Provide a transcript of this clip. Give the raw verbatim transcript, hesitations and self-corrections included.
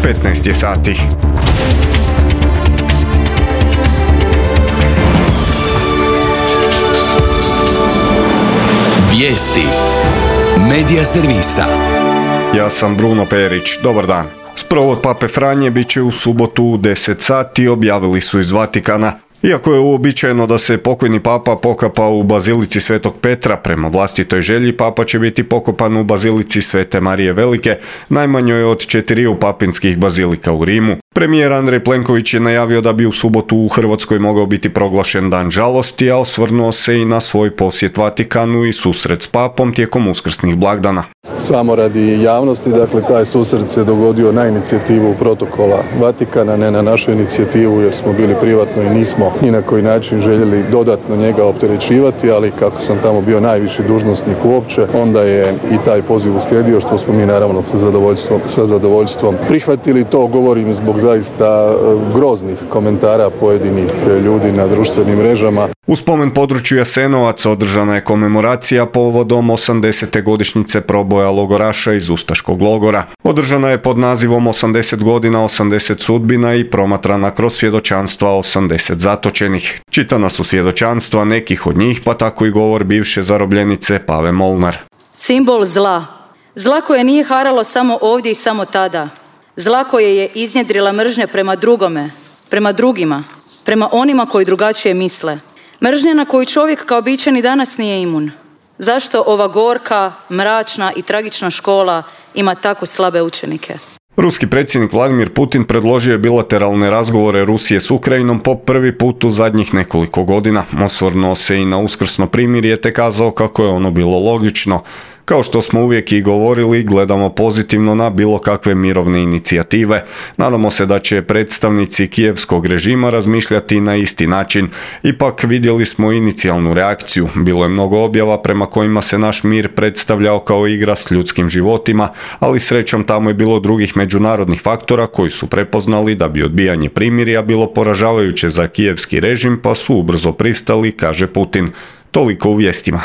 petnaest je sati. Vijesti Medija servisa. Ja sam Bruno Perić, dobar dan. Sprovod Pape Franje bit će u subotu u deset sati, objavili su iz Vatikana. Iako je uobičajeno da se pokojni papa pokapa u bazilici Svetog Petra, prema vlastitoj želji papa će biti pokopan u bazilici Svete Marije Velike, najmanjoj od četiriju papinskih bazilika u Rimu. Premijer Andrej Plenković je najavio da bi u subotu u Hrvatskoj mogao biti proglašen dan žalosti, a osvrnuo se i na svoj posjet Vatikanu i susret s papom tijekom uskrsnih blagdana. Samo radi javnosti, dakle, taj susret se dogodio na inicijativu protokola Vatikana, ne na našu inicijativu jer smo bili privatno i nismo ni na koji način željeli dodatno njega opterećivati, ali kako sam tamo bio najviši dužnosnik uopće, onda je i taj poziv uslijedio, što smo mi naravno sa zadovoljstvom, sa zadovoljstvom prihvatili. To govorim zbog zaista groznih komentara pojedinih ljudi na društvenim mrežama. U spomen području Jasenovac održana je komemoracija povodom osamdesete godišnjice proboja logoraša iz ustaškog logora. Održana je pod nazivom osamdeset godina, osamdeset sudbina i promatrana kroz svjedočanstva osamdeset zatočenih. Čitana su svjedočanstva nekih od njih, pa tako i govor bivše zarobljenice Pave Molnar. Simbol zla. Zla koje nije haralo samo ovdje i samo tada. Zla koje je iznjedrila mržnja prema drugome, prema drugima, prema onima koji drugačije misle. Mržnja na koju čovjek kao bićan i danas nije imun. Zašto ova gorka, mračna i tragična škola ima tako slabe učenike? Ruski predsjednik Vladimir Putin predložio je bilateralne razgovore Rusije s Ukrajinom po prvi put u zadnjih nekoliko godina. Osvrnuo se i na uskrsno primirje te kazao kako je ono bilo logično. Kao što smo uvijek i govorili, gledamo pozitivno na bilo kakve mirovne inicijative. Nadamo se da će predstavnici kijevskog režima razmišljati na isti način. Ipak vidjeli smo inicijalnu reakciju. Bilo je mnogo objava prema kojima se naš mir predstavljao kao igra s ljudskim životima, ali srećom tamo je bilo drugih međunarodnih faktora koji su prepoznali da bi odbijanje primirja bilo poražavajuće za kijevski režim, pa su ubrzo pristali, kaže Putin. Toliko u vijestima.